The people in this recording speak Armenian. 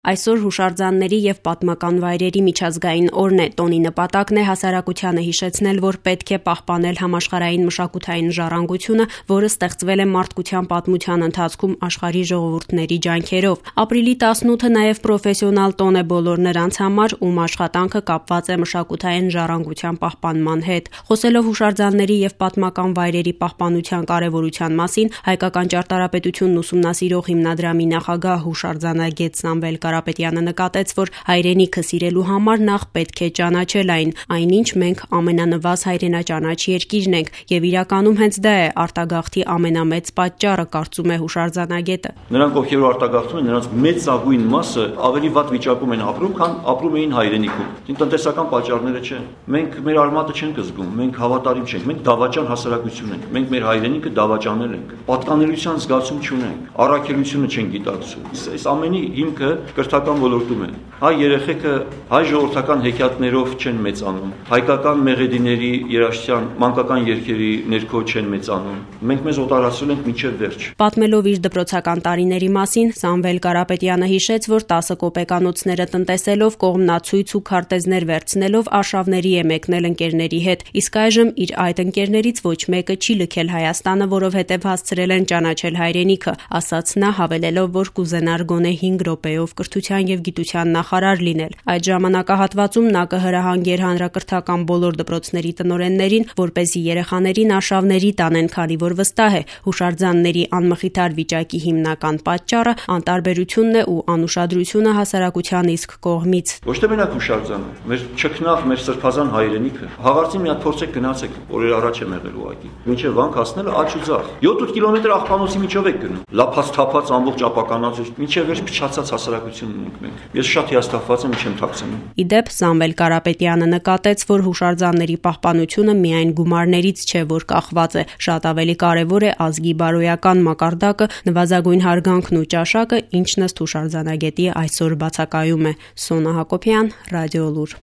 Այսօր հուշարձանների և պատմական վայրերի միջազգային օրն է, տոնի նպատակն է հասարակությանը հիշեցնել, որ պետք է պահպանել համաշխարհային մշակութային ժառանգությունը, որը ստեղծվել է մարդկության պատմության ընթացքում աշխարհի ժողովուրդների ջանքերով։ Ապրիլի 18-ը նաև պրոֆեսիոնալ տոն է բոլոր նրանց համար, ում աշխատանքը կապված է մշակութային ժառանգության պահպանման հետ։ Խոսելով հուշարձանների և պատմական վայրերի պահպանության կարևորության մասին, Հայկական ճարտարապետությունն ուսումնասիրող հիմնադրամի նախագահ հուշարձանագետ Սամվել Կարապետյանը նկատեց, որ հայրենիքը սիրելու համար նախ պետք է ճանաչել այն, այնինչ մենք ամենանվազ հայրենաճանաչ երկիրն ենք, եւ իրականում հենց դա է արտագաղթի ամենամեծ պատճառը, կարծում է հուշարձանագետը։ Նրանք, ովքեր արտագաղթում են, նրանց մեծագույն մասը ավելի վատ վիճակում են ապրում, քան ապրում էին հայրենիքում։ Տնտեսական պատճառները չեն։ Մենք մեր արմատը չենք զգում, մենք հավատարիմ չենք, մենք դավաճան հասարակություն ենք, մենք մեր հայրենիքը դավաճանել ենք, պատկանելիության զգացում չունենք, առաքելությունը չենք գիտակցում։ Այս ամենի հիմքը կրթական ոլորտում է։ Հայ երեխեքը հայ ժողովրդական հեքիաթներով չեն մեծանում, հայկական մեղեդիների երաժշտության մանկական երգերի ներքո չեն մեծանում։ Մենք մեզ օտարացրել ենք մինչև վերջ։ Պատմելով իր դպրոցական տարիների մասին, Սամվել Կարապետյանը հիշեց, որ 10 կոպեկանոցները տնտեսելով, կողմնացույց ու քարտեզներ վերցնելով արշավների է մեկնել ընկերների հետ, իսկ այժմ իր այդ ընկերներից ոչ մեկը չի լքել Հայաստանը, որովհետև հասցրել են ճանաչել հայրենիքը, ասաց նա, հավելելով, որ կուզենար գոնե 5 րոպեով կրթության և գիտության նախարար լինել։ Այդ ժամանակահատվածում նա կհրահանգեր հանրակրթական բոլոր դպրոցների տնօրեններին, որպեսզի երեխաներին արշավների տանեն, քանի որ վստահ է, հուշարձանների անմխիթար վիճակի հիմնական պատճառը անտարբերությունն է ու անուշադրությունը հասարակության իսկ կողմից։ Ոչ թե մենակ հուշարձանը, մեր ճգնաղ, մեր սրբազան հայրենիքը։ Հաղարծին մի հատ փորձեք գնացեք, օրեր առաջ եմ եղել ուղղակի։ Մինչև Վանք հասնելը աջ ու ձախ։ 7-8 կիլոմետր աղբանոցի միջով եք գնում։ Լափած թափած ամբողջ ապականած, մինչև վերջ փչացած հասարակություն ունենք մենք։ Ես շատ հիասթափված եմ, չեմ թաքցնում։ Ի դեպ, Սամվել Կարապետյանը նկատեց, որ հուշարձանների պահպանությունը միայն գումարներից չէ, որ կախված է, շատ ավելի կարևոր է ազգի բարոյական մակարդակը, նվազագույն հարգանքն ու ճաշակը, ինչն ըստ հուշարձանագետի այսօր բացակայում է։ Սոնա Հակոբյան, Ռադիոլուր։